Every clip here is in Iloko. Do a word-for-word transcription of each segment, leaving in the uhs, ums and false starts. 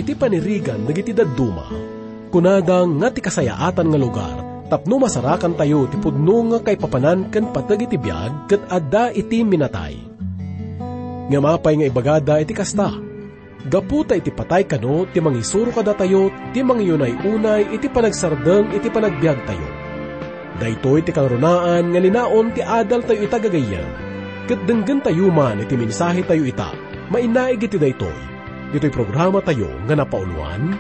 ti panirigan dagiti dadduma. Kunada nga ti kasayaatan nga lugar tapno masarakantayo ti pudno nga kaipapanan ken pateg iti biag ket adda iti minatay. Ngem apay nga ibagada iti kasta? Gapu ta iti patay kano ti mangisuro kadatayo ti mangiyunay-unay iti panagsardeng iti panagbiagtayo. Daytoy ti kangrunaan nga linaon ti adaltayo ita gagayyem, ket denggentayo man iti mensahetayo ita mainaig iti daytoy, ditoy programatayo nga napauluan,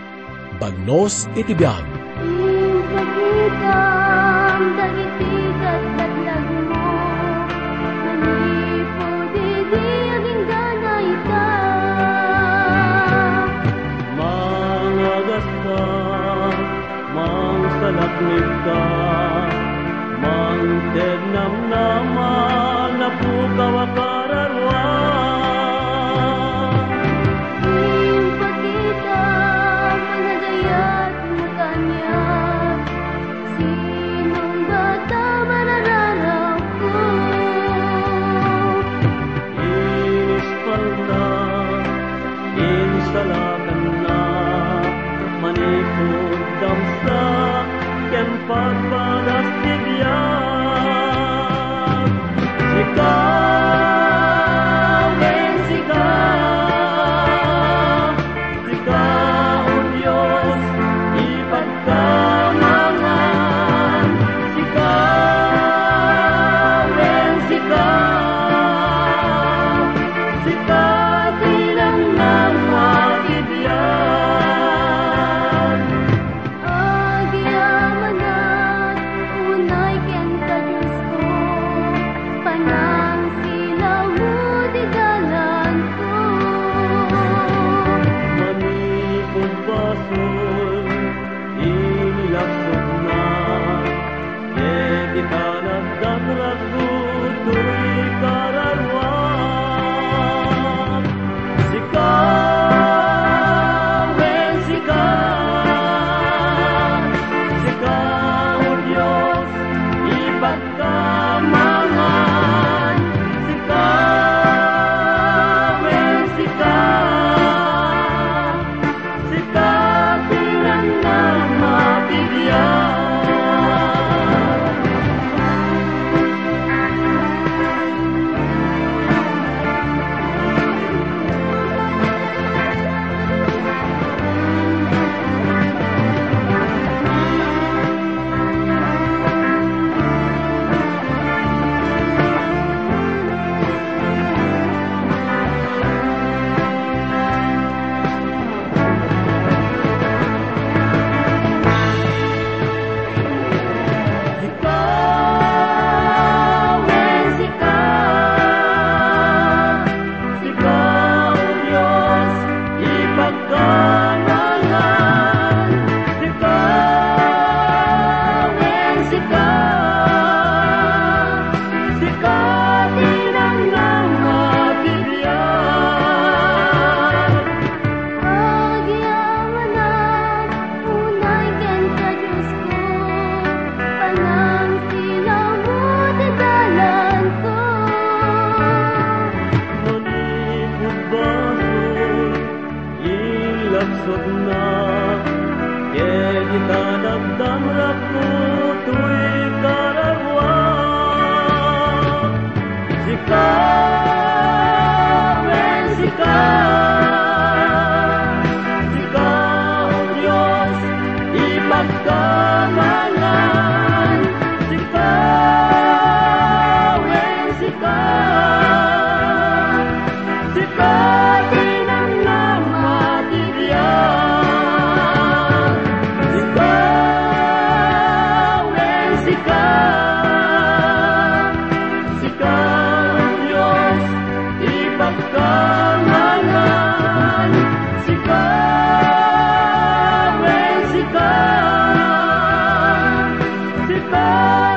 Bagnos iti Biag. Impakitam dagiti katlatlagmo, manipud idi agingganayta. Mangagasta, mangsalaknibka, mangted namnama, napukaw a kararua. Impakita, panagayat, makaniak, sinong bata marararawko? Inispalna, insalakanna, manipud damsa, ken pagbagas ti biag. Sika, wen sika, sika, O Dios, ipagkamangan. Sika, wen sika, sika ti nangnangnga ti biag. Agyamanak, unay kenka, Diosko, panangsilawmo ti dalanko. Manipud basol, inilaksokna, ket ita nagdamrakko toy kararua. Sika, wen sika, sika, O Dios, ipagkamangan. Sika, wen sika, sika ti nangnangnga ti biag. Sika, wen sika, sika, O Dios, ipagkamangan. Sika, wen sika, sika ti nangnangnga ti biag. Agyamanak, unay kenka, Diosko, panangsilawmo ti dalanko. Manipud basol, ilaksokna, ket ita nagdamrakko toy kararua. Sika, wen sika, sika, O Dios, ipagkamangan. Sika, wen sika, sika ti nangnangnga ti biag. Sika, wen sika, sika, O Dios, ipagkamangan. Sika, wen sika, sika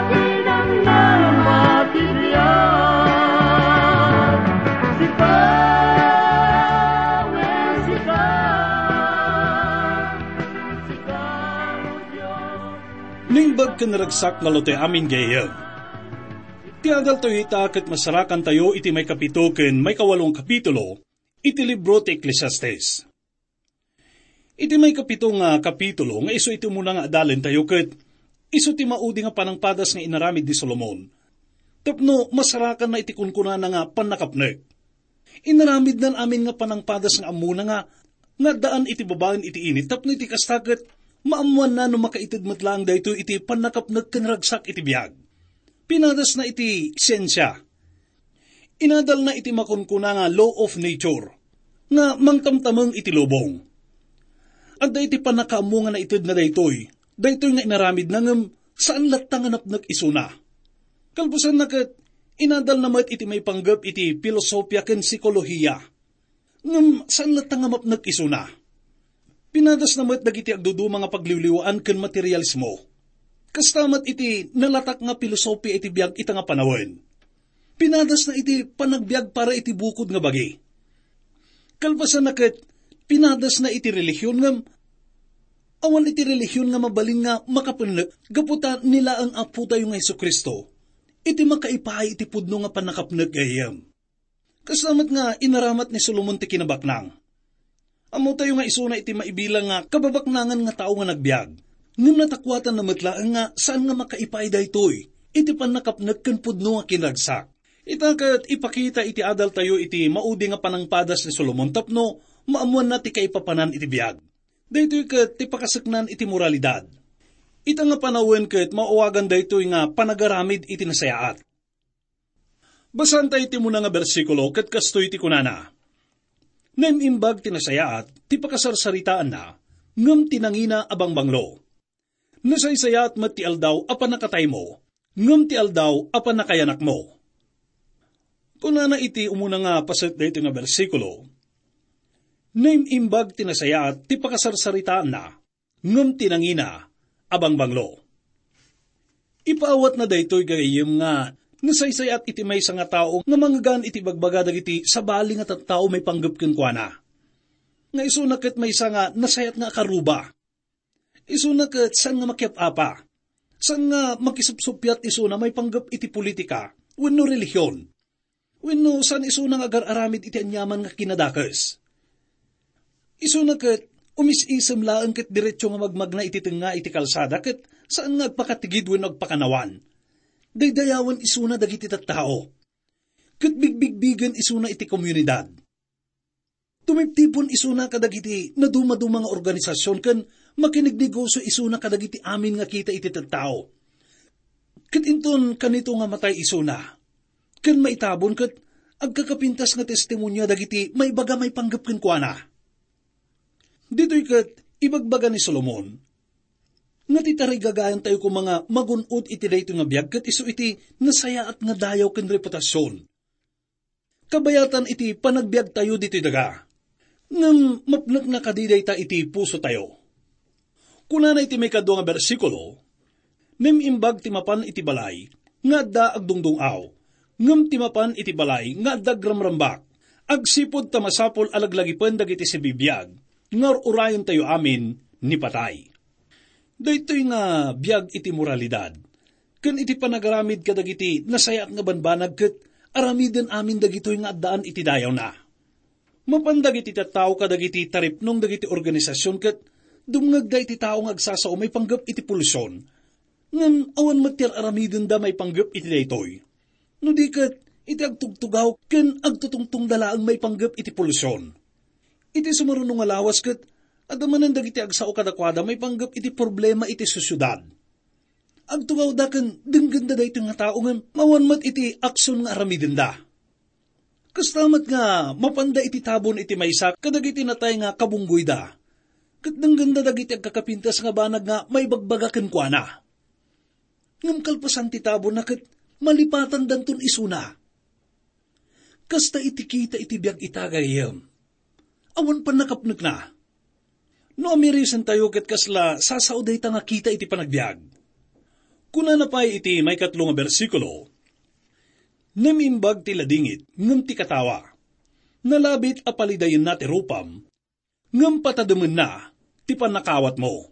ti nangnangnga ti biag. Sika, wen sika, sika, O Dios. Naimbag ken naragsak nga amin gayyem. Ti adaltayo ita ket masarakantayo iti maikapito ken maikawalo a kapitulo iti libro ti Eclesiastes. Iti maikapito nga kapitulo nga isu iti umuna nga adalentayo ket isu ti maudi nga panangpadas nga inaramid ni Solomon tapno masarakanna iti kunkunana nga pannakapnek. Inaramidnan amin nga panangpadas nga ammona nga, nga addaan iti babaen iti init tapno iti kasta ket maammoanna no makaited met laeng daytoy iti pannakapnek ken ragsak iti biag. Pinadasna iti siensia. Inadalna iti makunkuna nga law of nature, nga mangtamtameng iti lubong. Adda iti pannakaammo nga naitedna daytoy, daytoy nga inaramidna ngem saan latta nga napnek isuna. Kalpasanna ket, inadalna met iti maipanggep iti filosofia ken psikolohiya. Ngem saan latta nga mapnek isuna. Pinadasna met dagiti agduduma nga pagliwliwaan ken materialismo. Kasta met iti nalatak nga pilosopia iti biag ita nga panawen. Pinadasna iti panagbiag para iti bukod nga bagi. Kalpasanna ket, pinadasna iti relihion ngem awan iti relihion nga mabalin nga makapennek gapu ta ni laeng Apotayo nga Jesu-Cristo iti makaipaay iti pudno nga pannakapnek gayyem. Kasta met nga inaramat ni Solomon ti kinabaknang. Ammotayo nga isuna iti maibilang nga kababaknangan nga tao nga nagbiag. Ngem natakuatanna met laeng nga saan nga makaipaay daytoy iti pannakapnek ken pudno nga kinragsak. Ita ket ipakita iti adaltayo iti maudi nga panangpadas ni Solomon tapno maammoanna ti kaipapanan iti biag. Daytoy ket ti pakaseknan iti moralidad. Ita nga panawen ket maawagan daytoy nga panagaramid iti nasayaat. Basaanta iti umuna nga bersikulo ket kastoy ti kunana, "Naim-imbag ti nasayaat ti pakasarsaritaanna, ngem ti nangina a bangbanglo. Nasaysayaat met ti aldaw a pannakataymo, ngem ti aldaw a pannakayanakmo." Kunana iti umuna nga paset daytoy nga bersikulo, "Naim-imbag ti nasayaat ti pakasarsaritaanna, ngem ti nangina a bangbanglo." Ipaawatna daytoy gagayyem nga nasaysayaat iti maysa nga tao nga mangngegan iti bagbaga dagiti sabali nga tattao maipanggep kenkuana. Nga isuna ket maysa nga nasayat nga akaruba. Isuna ket saan nga makiap-apa. Saan nga makisupsuppiat isuna maipanggep iti politika wenno relihion. Wenno saan isuna nga agar-aramid iti aniaman nga kinadakes. Isuna ket umis-isem laeng ket diretso nga magmagna iti tengnga iti kalsada ket saan nga agpakatigid wenno agpakanawan. Daydayawen isuna dagiti tattao. Ket bigbigbigen isuna iti komunidad. Tumiptipon isuna kadagiti nadumaduma nga organisasyon ken makinignegosio isuna kadagiti amin nga kita iti tattao. Ket inton kanito nga matay isuna, ken maitabon ket agkakapintas nga testimonia dagiti maibaga maipanggep kenkuana. Ditoy ket ibagbaga ni Solomon nga ti tarigagayantayo koma nga magun-od iti daytoy nga biag ket isu iti nasayaat nga dayaw ken reputasion. Kabayatan iti panagbiagtayo ditoy daga. Ngem mapnekna kadi dayta iti pusotayo. Kunana iti maikadua nga bersikulo, "Naim-imbag ti mapan iti balay nga adda agdungdung-aw, ngem ti mapan iti balay nga adda agramrambak, agsipud ta masapul a laglagipen dagiti sibibiag nga ur-urayentayo amin ni patay." Daytoy nga biag iti moralidad ken iti panagaramid kadagiti nasayaat nga banbanag ket aramiden amin dagitoy nga addaan iti dayawna. Mapan dagiti tattao kadagiti taripnong dagiti organisasyon ket dumngegda iti tao nga agsasao maipanggep iti polusion. Ngem awan met ti ar-aramidenda maipanggep iti daytoy. No di ket, iti agtugtugaw ken agtutungtongda laeng maipanggep iti polusion. Iti sumaruno nga lawas ket, adda manen dagiti agsao kadakuada maipanggep iti problema iti sosiedad. Agtugawda ken denggenda daytoy nga tao ngem awan met iti aksion nga aramidenda. Kasta met nga mapanda iti tabon iti maysa kadagiti natay nga kabunggoyda, ket denggenda dagiti agkakapintas nga banag nga maibagbaga kenkuana. Ngem kalpasan ti tabonna ket malipatandanton isuna. Kasta iti kita iti biag ita, gayyem. Awan pannakapnekna. No amirisantayo ket kasla sasao dayta nga kita iti panagbiag. Kunana pay iti maikatlo nga bersikulo, "Naim-imbag ti ladingit ngem ti katawa. Nalabit a palidayenna ti rupam, ngem patademenna ti pannakaawatmo."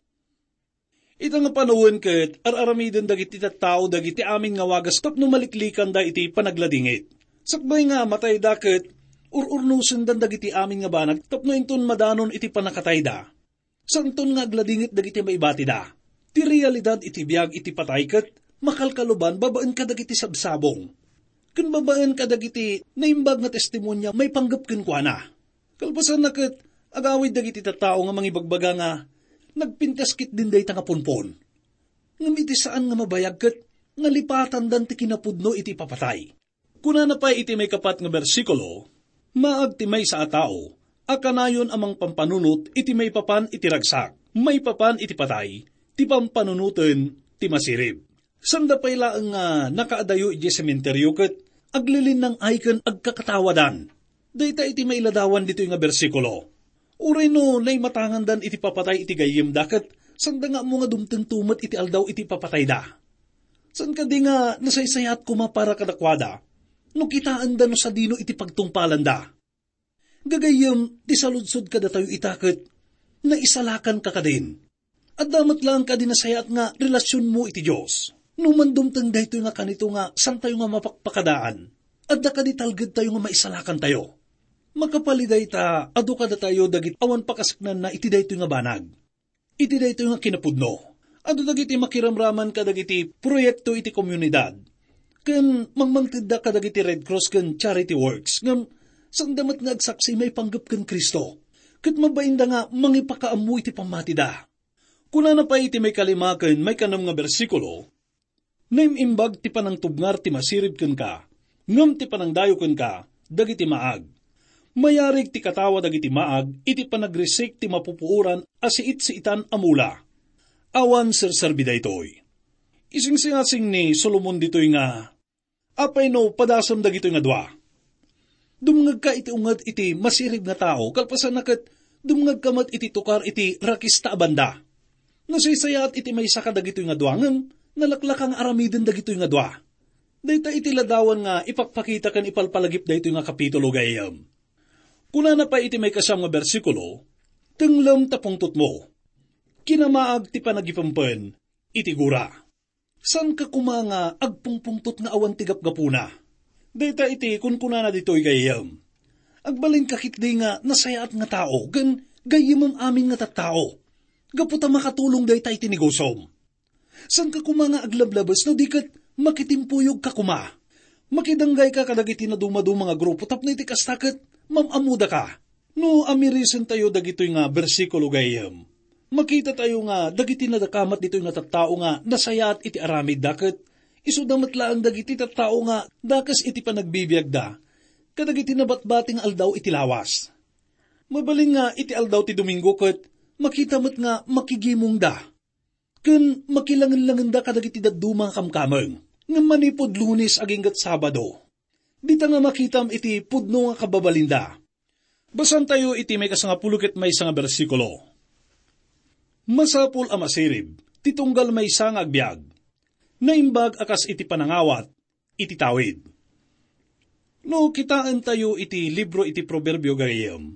Ita nga panawen ket ar-aramiden dagiti tattao dagiti amin nga wagas tapno maliklikanda iti panagladingit. Sakbay nga matayda ket ur-urnosendan dagiti amin nga banag tapno inton madanon iti pannakatayda. Saanton nga agladingit dagiti maibatida. Ti realidad iti biag iti patay ket makalkaluban babaen kadagiti sabsabong, ken babaen kadagiti naimbag nga testimonia maipanggep kenkuana. Kalpasanna ket, agawid dagiti tattao nga mangibagbaga nga nagpintas ketdin dayta nga punpon. Ngem iti saan nga mabayag ket nalipatandan ti kinapudno iti ipapatay. Kunana pay iti maikapat nga bersikulo, "Maag ti maysa a tao a kanayon a mangpampanunot iti maipapan iti ragsak, maipapan iti patay, ti pampanunoten ti masirib." Sanda pay laeng nga nakaadayo idiay sementerio ket aglilinnang-ay ken agkakatawadan. Dayta iti mailadawan ditoy nga bersikulo. Uray no naimatangandan iti papatay iti gayyemda ket sanda nga ammo nga dumtengto met iti aldaw iti papatayda. Saan kadi nga nasaysayaat koma para kadakuada no kitaenda no sadino iti pagtungpalanda? Gagayyem, ti saludsod kadatayo ita ket naisalakanka kadin. Adda met laeng kadi nasayaat nga relasionmo iti Dios? No mandumteng daytoy nga kanito nga santayo nga mapakpakadaan, adda kadi talgedtayo nga maisalakantayo? Makapalida ita, adu kadatayo dagiti awan pakasaknanna iti daytoy nga banag. Iti daytoy nga kinapudno, adu dagiti makiramraman kadagiti proyekto iti komunidad, ken mangmangtedda kadagiti Red Cross ken charity works, ngem sanda met nga agsaksi maipanggep ken Cristo, ket mabainda nga mangipakaammo iti pammatida. Kunana pay iti maikalima ken maikanem nga bersikulo, "Naim-imbag ti panangtubngar ti masirib kenka, ngem ti panangdayo kenka, dagiti maag. Mayarig ti katawa dagiti maag iti panagrisik ti mapupuoran a siit-siitan a mula." Awan serserbi daytoy. Isingsingasing ni Solomon ditoy nga, "Apay no padasem dagitoy nga dua? Dumngegka iti unget iti masirib nga tao, kalpasanna ket dumngegka met iti tukar iti rakista a banda. Nasaysayaat iti maysa kadagitoy nga dua, ngem nalaklaka nga aramiden dagitoy nga dua." Dayta iti ladawan nga ipakpakita ken ipalpalagip daytoy nga kapitulo, gayyem. Kunana pay iti maikasiam nga bersikulo, "Tenglem ta pungtotmo. Kinamaag ti panagipempen iti gura." Saanka koma nga agpungpungtot nga awan ti gapgapuna? Dayta iti kunkunana ditoy, gayyem. Agbalinka ketdi nga nasayaat nga tao, ken gayyemem amin nga tattao. Gapu ta makatulong dayta iti negosom. Saanka koma nga aglablabes no di ket makitimpuyogka koma. Makidanggayka kadagiti nadumaduma nga grupo tapno iti kasta ket mam-ammodaka. No amirisentayo dagitoy nga bersikulo, gayyem, makitatayo nga dagiti nadakamat ditoy nga tattao nga nasayaat iti aramidda ket isuda met laeng dagiti tattao nga dakes iti panagbibiagda kadagiti nabatbati nga aldaw iti lawas. Mabalin nga iti aldaw ti Domingo ket makita met nga makigimongda ken makilangenlangenda kadagiti dadduma nga kamkameng. Ngem manipud Lunes agingga Sabado, dita nga makitam iti pudno nga kababalinda. Basantayo iti maikasangapulo ket maysa nga bersikulo. "Masapul a masirib ti tunggal maysa nga agbiag. Naimbag a kas iti panangawat iti tawid." No kitaentayo iti libro iti Proverbio, gayyem,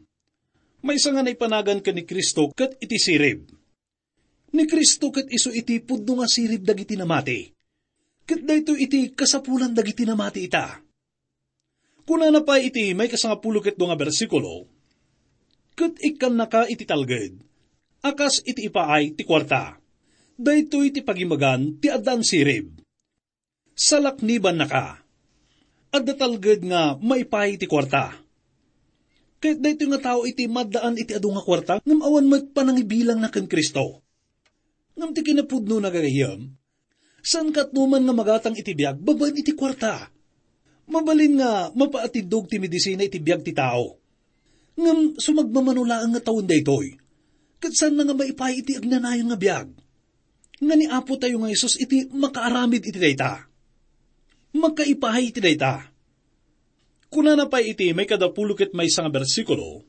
maysa nga naipanagan ken ni Cristo ket iti sirib. Ni Cristo ket isu iti pudno nga sirib dagiti namati. Ket daytoy iti kasapulan dagiti namati ita. Kunana pay iti maikasangapulo ket dua nga bersikulo, "Ket ikkannaka iti talged a kas iti ipaay ti kuarta. Daytoy ti pagimagan ti addaan sirib. Salaknibannaka. Adda talged nga maipaay ti kuarta." Ket daytoy nga tao iti maddaan iti adu nga kuarta, ngem awan met panangibilangna ken Cristo. Ngem ti kinapudno, gayyem, saan ket no man nga magatang iti biag babaen iti kuarta. Mabalin nga mapaatiddog ti medisina iti biag ti tao. Ngem sumagmamano laeng nga tawen daytoy, ket saanna nga maipaay iti agnanayon nga biag. Nga ni Apotayo nga Jesus iti makaaramid iti dayta. Makaipaay iti dayta. Kunana pay iti maikadapulo ket maysa nga bersikulo,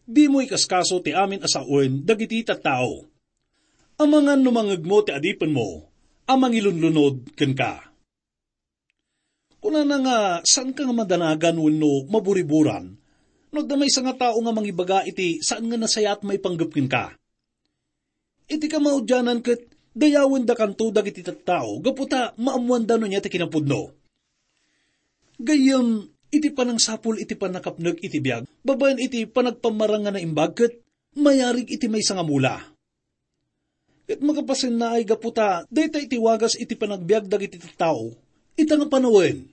"Dimo ikaskaso ti amin a sawen dagiti tattao. Amangan no mangngegmo ti adipenmo a mangilunlunod kenka." Kunana nga saanka nga madanagan wenno maburiburan no adda maysa nga tao nga mangibaga iti saan nga nasayaat maipanggep kenka. Iti kamaudianan ket dayawendakanto dagiti tattao gapu ta maammoanda no ania ti kinapudno. Gayyem, iti panangsapul iti pannakapnek iti biag babaen iti panagpammarang nga naimbag ket mayarig iti maysa nga mula. Ket makapasennaay gapu ta dayta iti wagas iti panagbiag dagiti tattao, ita nga panawen.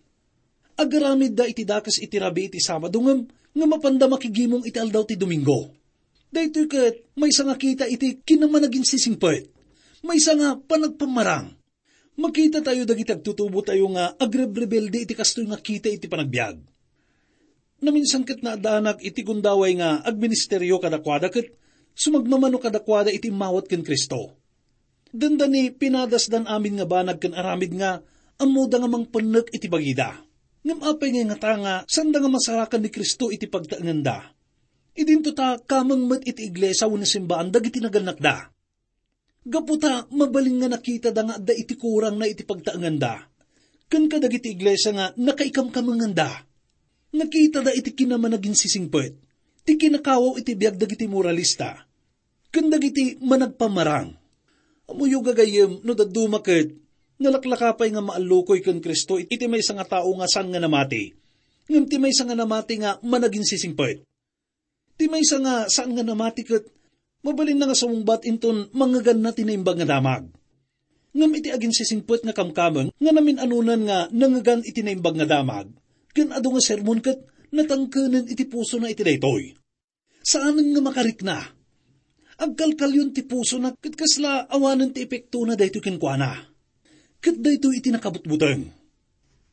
Agaramidda iti dakes iti rabii iti Sabado ngem, nga mapanda makigimong iti aldaw ti Domingo. Daytoy ket maysa nga kita iti kinamanaginsisingpet. Maysa nga panagpammarang. Makita tayo dagiti agtutubo tayo nga agrebrebelde iti kastoy nga kita iti panagbiag. Naminsan ket naaddanak iti gundaway nga agministerio kadakuada ket sumagmamano kadakuada iti immawat ken Cristo. Dandani pinadasdan amin nga banag ken aramid nga ammoda nga mangpennek iti bagida. Ngem apay nga ingata nga sanda nga masarakan ni Cristo iti pagtaenganda? Idinto ta kameng met iti iglesia wenno simbaan dagiti nagannakda. Gapu ta mabalin nga nakitada nga adda iti kurangna iti pagtaenganda, ken kadagiti iglesia nga nakaikamkamenganda. Nakitada iti kinamanaginsisingpet, ti kinakawaw iti biag dagiti moralista, ken dagiti managpammarang. Ammoyo gagayyem no dadduma ket nalaklaka pay nga maallukoy ken Cristo iti maysa nga tao nga saan nga namati, ngem ti maysa nga namati nga managinsisingpet. Ti maysa nga saan nga namati ket mabalinna nga sumungbat inton mangngeganna ti Naimbag nga Damag. Ngem iti aginsisingpet nga kamkameng nga namin-anonan nga nangngegan iti Naimbag nga Damag, ken adu nga sermon ket natangkenen iti pusona iti daytoy. Saanen nga makarikna. Agkalkalyon ti pusona ket kasla awanen ti epektona daytoy kenkuana. Ket daytoy iti nakabutbuteng.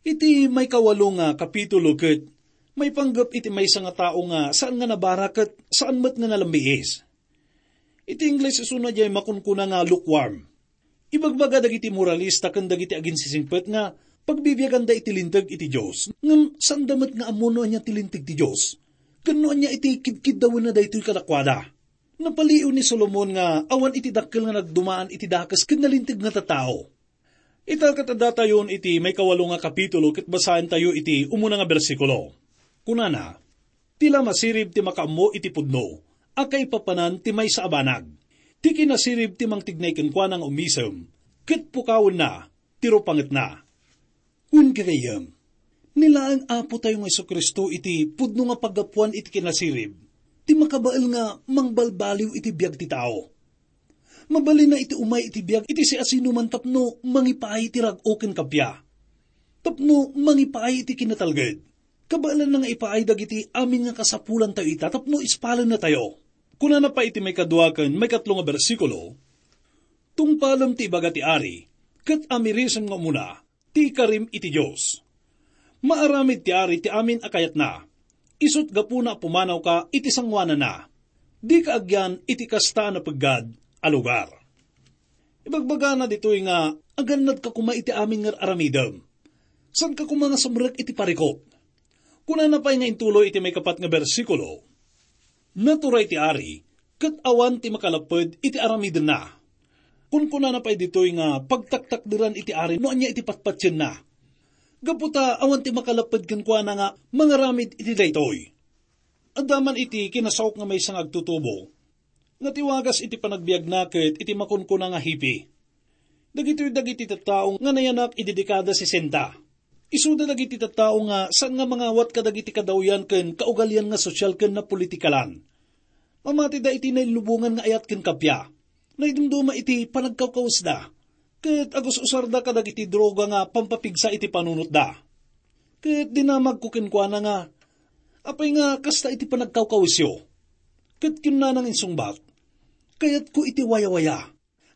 Iti maikawalo nga kapitulo ket maipanggep iti maysa nga tao nga saan nga nabara ket saan met nga nalambiis. Iti Ingles isuna diay makunkuna nga lukewarm. Ibagbaga dagiti moralista ken dagiti aginsisingpet nga pagbibiaganda iti Linteg iti Dios, ngem saanda met nga ammo no ania ti Linteg ti Dios, ken no ania iti kidkiddawenna daytoy kadakuada. Napaliw ni Solomon nga awan iti dakkel nga nagdumaan iti dakes ken nalinteg nga tattao. Ita ket addatayon iti maikawalo nga kapitulo ket basaentayo iti umuna nga bersikulo. Kunana, "Ti la masirib ti makaammo iti pudno a kaipapanan ti maysa a banag. Ti kinasirib ti mangtignay kenkuana nga umisem, ket pukawenna ti rupangetna." Wen gagayyem, ni laeng Apotayo nga Jesu-Cristo iti pudno nga paggapuan iti kinasirib, ti makabael nga mangbalbaliw iti biag ti tao. Mabalinna iti umay iti biag iti siasinoman tapno mangipaay iti rag-o ken kappia. Tapno mangipaay iti kinatalged. Kabaelanna nga ipaay dagiti amin nga kasapulantayo ita tapno ispalennatayo. Kunana pay iti maikadua ken maikatlo nga bersikulo, "Tungpalem ti ibaga ti ari, ket amirisem nga umuna, ti ikarim iti Dios. Maaramid ti ari ti amin a kayatna. Isut' gapuna a pumanawka iti sangoananna. Dika agyan iti kasta a napeggad a lugar." Ibagbagana ditoy nga agannadka koma iti amin nga aramidem. Saanka koma nga sumrek iti parikut. Kunana pay nga intuloy iti maikapat nga bersikulo, "Naturay ti ari, ket awan ti makalapped iti aramidenna." Kunkunana pay ditoy nga pagtaktakderan iti ari no ania iti patpatienna. Gapu ta awan ti makalapped kenkuana nga mangaramid iti daytoy. Adda man iti kinasaok nga maysa nga agtutubo nga ti wagas iti panagbiagna ket iti makunkuna nga hippie. Dagitoy dagiti tattao nga nayanak idi dekada sesenta. Isuda dagiti tattao nga saan nga mangawat kadagiti kadawyan ken kaugalian nga sosyal ken napolitikalan. Mamatida iti nailubongan nga ayat ken kappia. Naidumduma iti panagkawkawesda, ket agus-usarda kadagiti droga nga pampapigsa iti panunotda. Ket dinamagko kenkuana nga, "Apay nga kasta iti panagkawkawesyo?" Ket kinnana nga insungbat, "Kayatko iti wayawaya.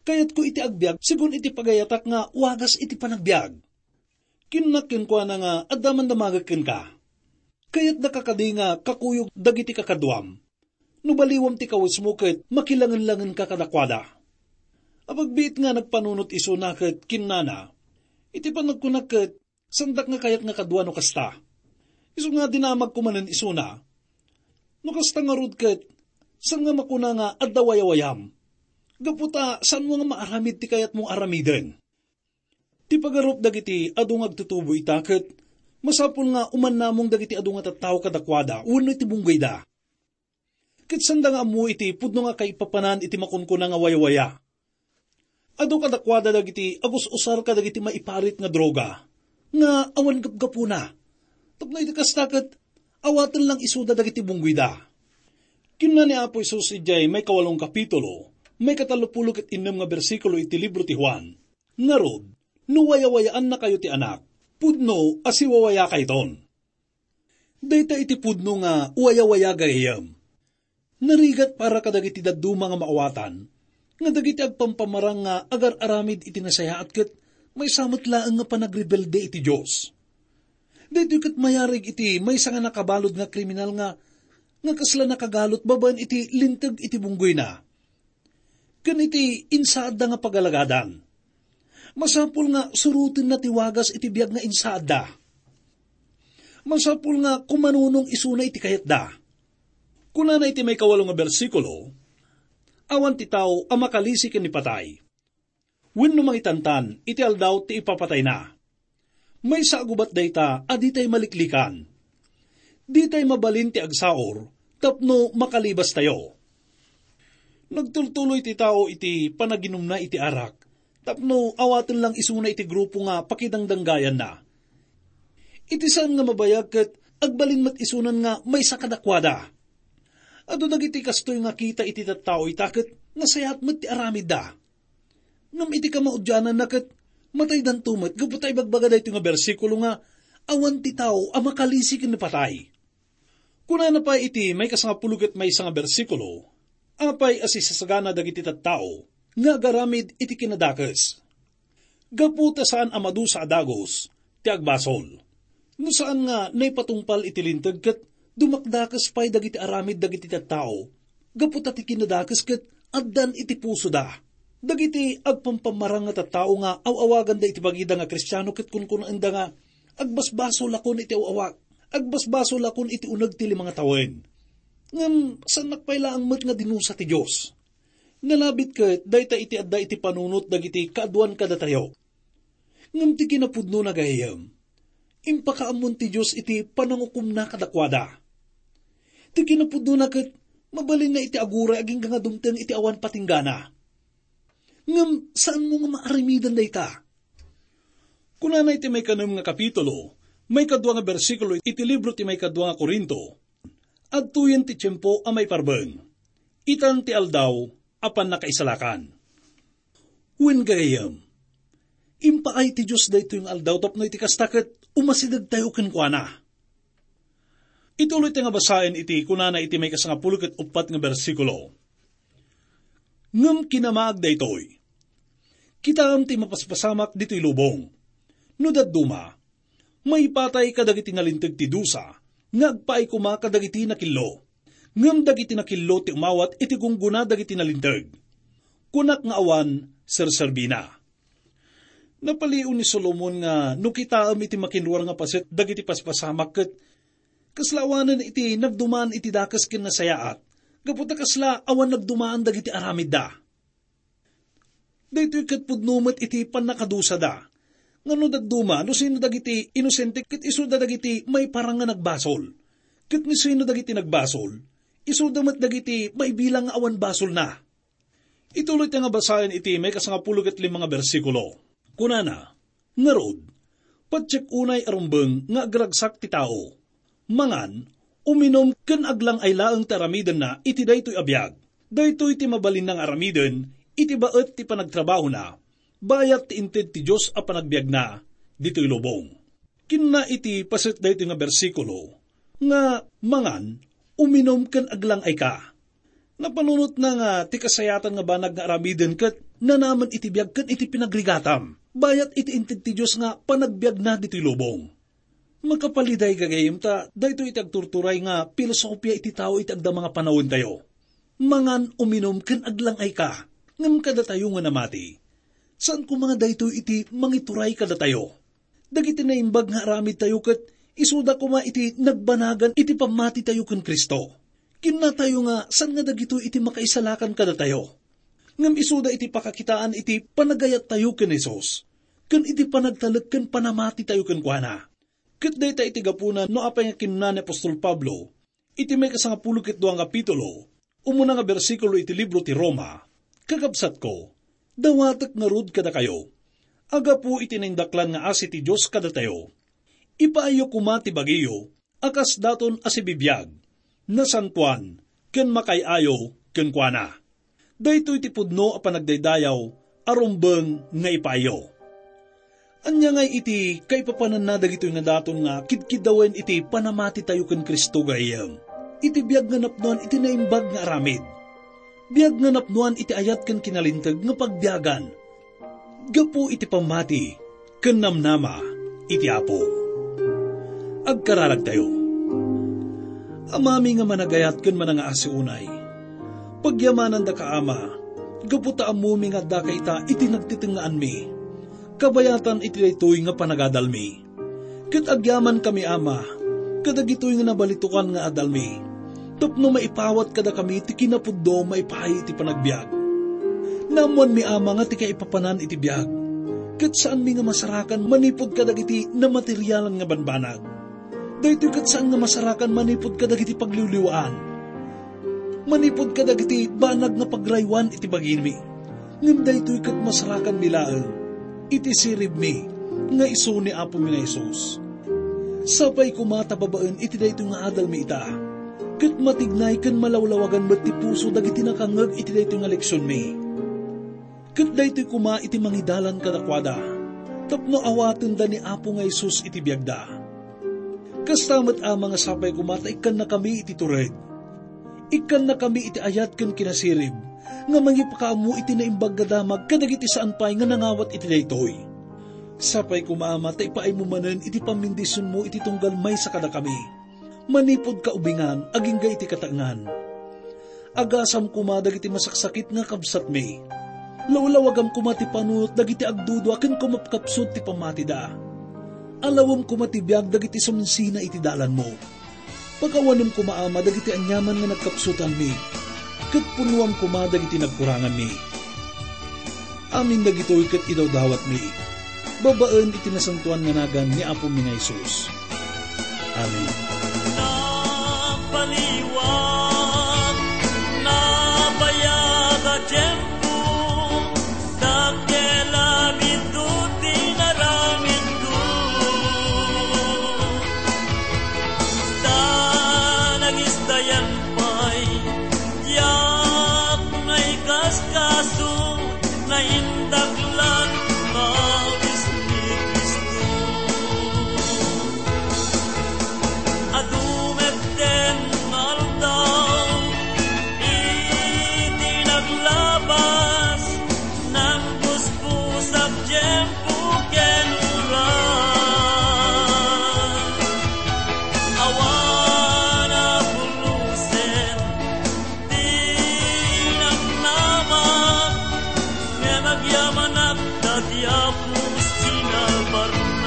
Kayatko iti agbiag sigun iti pagayatak nga wagas iti panagbiag." Kinnak kenkuana nga, "Adda man damagek kenka. Kayatdaka kadi nga kakuyog dagiti kakaduam? No baliwam ti kawesmo ket makilangenlangenka kadakuada." Apagbiit nga nagpanunot isuna ket kinnana, "Iti panagkunak ket saandak nga kayat nga kadua no kasta." Isu nga dinamagko manen isuna, "No kasta ngarud ket saan nga makuna nga adda wayawayam? Gapu ta saanmo nga maaramid ti kayatmo nga aramiden." Ti pagarup dagiti adu nga agtutubo ita ket masapul nga umannamong dagiti adu nga tattao kadakuada wenno iti bunggayda. Ket saanda nga ammo iti pudno nga kaipapanan iti makunkuna nga wayawaya. Adu kadakuada dagiti agus-usar kadagiti maiparit nga droga nga awan gapgapuna. Tapno iti kasta ket awaten lang isuda dagiti bunggayda. Kinuna ni Apo Jesus idiay maikawalong kapitulo, maikatallopulo ket innem nga bersikulo iti libro ti Juan, "Ngarud, no wayawayaannakayo ti Anak, pudno a siwawayakayton." Dayta iti pudno nga wayawaya gayam. Narigat para kadagiti dadduma nga maawatan, nga dagiti agpampamarang nga agar-aramid iti nasayaat ket maysa met laeng nga panagrebelde iti Dios. Daytoy ket mayarig iti maysa nga nakabalud nga kriminal nga, nga kasla nakagalot babaen iti linteg iti bunggoyna ken iti insaadda nga pagalagadan. Masapul nga surotenna ti wagas iti biag nga insaadda. Masapul nga kumanunong isuna iti kayatda. Kunana iti maikawalo nga bersikulo, "Awan ti tao a makalisi ken ni patay. Wenno mangitantan iti aldaw ti ipapatayna. Maysa a gubat dayta a ditay maliklikan. Ditay mabalin ti agsaor tapno makalibastayo." Nagtultuloy ti tao iti panaginumna iti arak tapno awaten lang isuna iti grupo nga pakidangdanggayanna. Iti saan nga mabayag ket agbalin met isunan nga maysa kadakuada. Adu dagiti kastoy nga kita iti tattao ita ket nasayaat met ti aramidda. Ngem iti kamaudiananna ket mataydanto met gapu ta ibagbaga daytoy nga bersikulo nga awan ti tao a makalisi ken ni patay. Kunana pay iti maikasangapulo ket maysa nga bersikulo, "Apay a sisasagana dagiti tattao nga agaramid iti kinadakes? Gapu ta saan a madusa a dagus ti agbasol. No saan nga naipatungpal iti linteg ket dumakdakes pay dagiti aramid dagiti tattao, gapu ta ti kinadakes ket addan iti pusoda." Dagiti agpampamarang nga tattao nga aw-awaganda iti bagida nga Kristiano ket kunkunaenda nga, "Agbasbasolakon iti aw-awag, agbasbasolakon iti uneg ti lima nga tawen." Ngem saannak pay laeng met nga dinusa ti Dios. Nalabit ket dayta iti adda iti panunot dagiti kaaduan kadatayo. Ngem ti kinapudnona gayam, impakaammon ti Dios iti panangukomna kadakuada. Ti kinapudnona ket mabalinna iti aguray agingga nga dumteng iti awan patinggana. Ngem saanmo nga maaramidan dayta. Kunana iti maikanem nga kapitulo, maikadua nga bersikulo iti libro ti maikadua nga Corinto, "Adtoyen ti tiempo a maiparbeng, itan ti aldaw a pannakaisalakan." Wen gayam, impaay ti Dios daytoy nga aldaw tapno iti kasta ket umasidegtayo kenkuana. Ituloy ti nga basaen iti kunana iti maikasangapulo ket uppat nga bersikulo, "Ngem kinamaag daytoy, kitaem ti mapaspasamak ditoy lubong. No dadduma, maipatay kadagiti nalinteg ti dusa nga agpaay koma kadagiti nakillo. Ngem dagiti nakillo ti umawat iti gunggona dagiti nalinteg. Kunak nga awan serserbina." Napalio ni Solomon nga no kitaem iti makinruar nga paset dagiti paspasamak ket kasla awanen iti nagdumaan iti dakes ken nasayaat, gapu ta kasla awan nagdumaan dagiti aramidda. Daytoy ket pudno met iti pannakadusada. Nga no dadduma, no sino dagiti inosente ket isuda dagiti maiparang nga nagbasol. Ket no sino dagiti nagbasol, isuda met dagiti maibilang nga awan basolna. Ituloy ta nga basaen iti maikasangapulo ket lima nga bersikulo. Kunana, "Ngarud, patiek unay a rumbeng nga agragsak ti tao. Mangan, uminum ken aglang-ay laeng ti aramidenna iti daytoy a biag. Daytoy ti mabalinna nga aramiden iti baet ti panagtrabahona, bayat ti inted ti Dios a panagbiagna ditoy lubong." Kinuna iti paset daytoy nga bersikulo nga, "Mangan, uminum ken aglang-ayka." Napanunotna nga ti kasayatan nga banag nga aramiden ket nanamen iti biag ken iti pinagrigatam, bayat iti inted ti Dios nga panagbiagna ditoy lubong. Makapaliday gagayem ta daytoy iti agturturay nga pilosopia iti tao iti agdama nga panawentayo. "Mangan, uminum, ken aglang-ayka," ngem kadatayo nga namati, saan koma nga daytoy iti mangituray kadatayo. Dagiti naimbag nga aramidtayo ket isuda koma iti nagbanagan iti pammatitayo ken Cristo. Kinnatayo nga saan nga dagitoy iti makaisalakan kadatayo. Ngem isuda iti pakakitaan iti panagayattayo ken Jesus, ken iti panagtalek ken panamatitayo kenkuana. Ket dayta iti gapuna no apay nga kinuna ni apostol Pablo iti maikasangapulo ket dua nga kapitulo, umuna nga bersikulo iti libro ti Roma, "Kakabsatko, dawatek ngarud kadakayo, a gapu iti naindaklan nga asi ti Dios kadatayo, ipaayyo koma ti bagiyo a kas daton a sibibiag, nasantoan, ken makaay-ayo kenkuana. Daytoy ti pudno a panagdaydayaw a rumbeng nga ipaayyo. Ania ngay iti kaipapananna dagitoy nga daton nga kidkiddawen iti panamatitayo ken Cristo, gayyem? Iti biag nga napnoan iti naimbag nga aramid. Biag nga napnoan iti ayat ken kinalinteg nga pagbiagan gapu iti pammati ken namnama iti Apo. Agkararagtayo. Amami nga managayat ken manangaasi unay, pagyamanandaka, Ama, gapu ta ammomi nga addaka ita iti nagtitengngaanmi, kabayatan iti daytoy nga panagadalmi. Ket agyamankami, Ama, kadagitoy nga nabalitokan nga adalmi, tapno maipawat kadakami ti kinapudno maipaay iti panagbiag. Naammoanmi, Ama, nga ti kaipapanan iti biag, ket saanmi nga masarakan manipud kadagiti namaterialan nga banbanag. Daytoy ket saan nga masarakan manipud kadagiti pagliwliwaan, manipud kadagiti banag nga pagraywan iti bagimi. Ngem daytoy ket masarakanmi laeng iti siribmi nga isu ni Apomi nga Jesus. Sapay koma ta babaen iti daytoy nga adalmi ita, ket matignay ken malawlawagan met ti puso dagiti nakangngeg iti daytoy nga leksionmi. Ket daytoy koma iti mangidalan kadakuada, tapno awatenda ni Apo nga Jesus iti biagda. Kasta met, Ama, nga sapay koma ta ikkannakami iti tured. Ikkannakami iti ayat ken kinasirib nga mangipakaammo iti naimbag nga damag kadagiti saan pay nga nangawat iti daytoy. Sapay koma, Ama, ta ipaaymo manen iti pammendisionmo iti tunggal maysa kadakami, manipud kaubingan agingga iti kataengan. Agasam koma dagiti masaksakit nga kabsatmi. Lawlawagam koma ti panunot dagiti agdudua ken kumapkapsut ti pammatida. Alawem koma ti biag dagiti suminsina iti dalanmo. Pakawanem koma, Ama, dagiti aniaman nga nagkapsutanmi, ket punuam koma dagiti nagkuranganmi. Amin dagitoy ket idawdawatmi babaen iti nasantoan nga nagan ni Apomi nga Jesus. Amen. Napaliwat, nabayag a tiempo, dakkel a biddut ti inaramidko. Ta nagisdayan pay, diak naikaskaso, naindaklan, kawes ni Cristo. Adu metten nga aldaw, iti naglabas, nangpuspusak tiempo ken oras. Awan a pulusen ti namnamak, ngem agyamanak ta ti Apo sinalbarnak.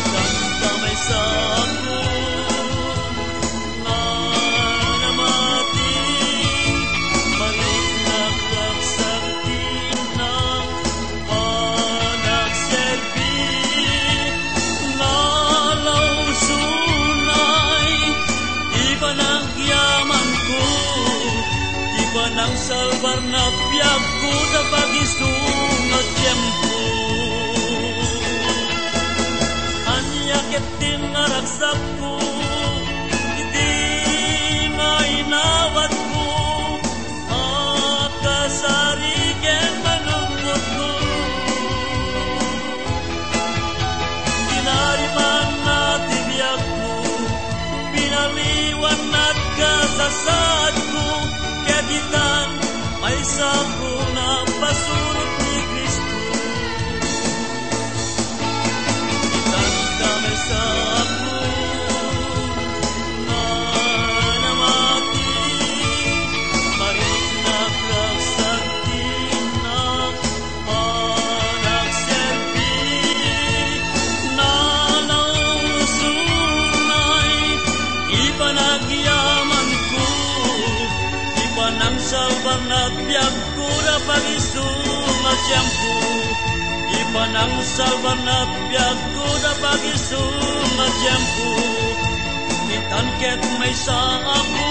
Tanta maysa a nga namati, mariknak, ragsak ti innak, panagserbi, nalausonay, ti panagyamanko, ti panangsalbar na biagko ta pagisu nga tiempo. Ania ket ti naragsak ko, iti nga inawatko, a kasari ken manungkotko. Tinarimanna ti biagko, pinaliwanna ti kasasaadko, ket itan, maysako napasurot ni Cristo. Itan ta maysako nga namati, mariknak, ragsak ti innak, panagserbi, nalausonay, ti panagyamanko, ti panangsalbar na biag ko da pagisu nga tiempo, ti panangsalbar na biag ko da pagisu nga tiempo, itan ket maysa a ko